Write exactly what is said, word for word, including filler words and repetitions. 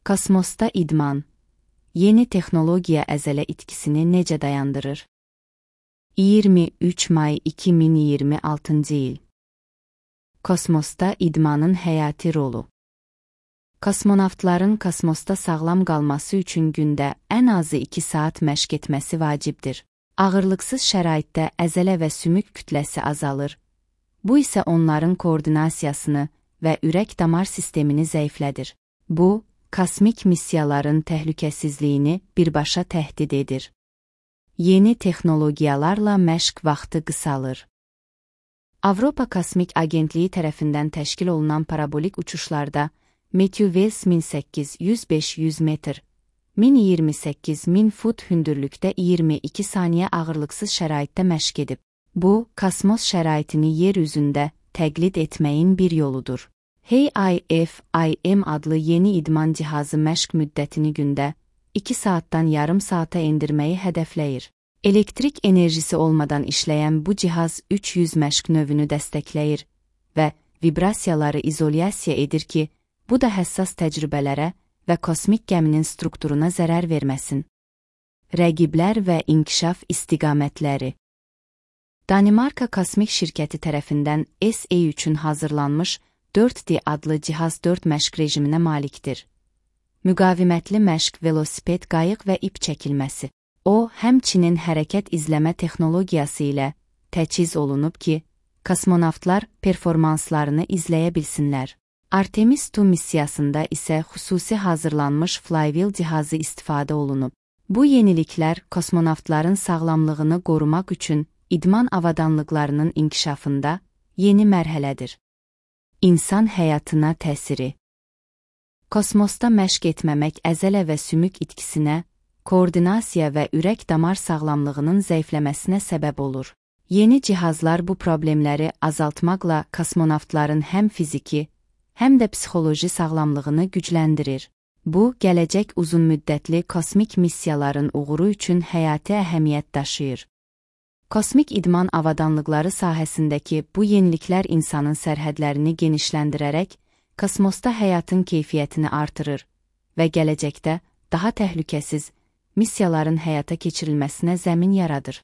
Kosmosda idman. Yeni texnologiya əzələ itkisini necə dayandırır? iyirmi üç may iki min iyirmi altıncı il. Kosmosda idmanın həyati rolu. Kosmonavtların kosmosda sağlam qalması üçün gündə ən azı iki saat məşq etməsi vacibdir. Ağırlıqsız şəraitdə əzələ və sümük kütləsi azalır. Bu isə onların koordinasiyasını və ürək-damar sistemini zəiflədir. Bu, kosmik missiyaların təhlükəsizliyini birbaşa təhdid edir. Yeni texnologiyalarla məşq vaxtı qısalır. Avropa Kosmik Agentliyi tərəfindən təşkil olunan parabolik uçuşlarda Matthew Wells min səkkiz yüz beş yüz metr, min iyirmi səkkiz min fut hündürlükdə iyirmi iki saniyə ağırlıqsız şəraitdə məşq edib. Bu, kosmos şəraitini yer üzündə təqlid etməyin bir yoludur. Hey I F I M adlı yeni idman cihazı məşq müddətini gündə iki saatdan yarım saata endirməyi hədəfləyir. Elektrik enerjisi olmadan işləyən bu cihaz üç yüz məşq növünü dəstəkləyir və vibrasiyaları izolyasiya edir ki, bu da həssas təcrübələrə və kosmik gəminin strukturuna zərər verməsin. Rəqiblər və inkişaf istiqamətləri. Danimarka Kosmik Şirkəti tərəfindən S A üçün hazırlanmış dörd D adlı cihaz dörd məşq rejiminə malikdir. Müqavimətli məşq, velosiped, qayıq və ip çəkilməsi. O, həmçinin hərəkət izləmə texnologiyası ilə təchiz olunub ki, kosmonavtlar performanslarını izləyə bilsinlər. Artemis iki missiyasında isə xüsusi hazırlanmış flywheel cihazı istifadə olunub. Bu yeniliklər kosmonavtların sağlamlığını qorumaq üçün idman avadanlıqlarının inkişafında yeni mərhələdir. İnsan həyatına təsiri. Kosmosda məşq etməmək əzələ və sümük itkisinə, koordinasiya və ürək-damar sağlamlığının zəifləməsinə səbəb olur. Yeni cihazlar bu problemləri azaltmaqla kosmonavtların həm fiziki, həm də psixoloji sağlamlığını gücləndirir. Bu, gələcək uzunmüddətli kosmik missiyaların uğuru üçün həyati əhəmiyyət daşıyır. Kosmik idman avadanlıqları sahəsindəki bu yeniliklər insanın sərhədlərini genişləndirərək, kosmosda həyatın keyfiyyətini artırır və gələcəkdə daha təhlükəsiz missiyaların həyata keçirilməsinə zəmin yaradır.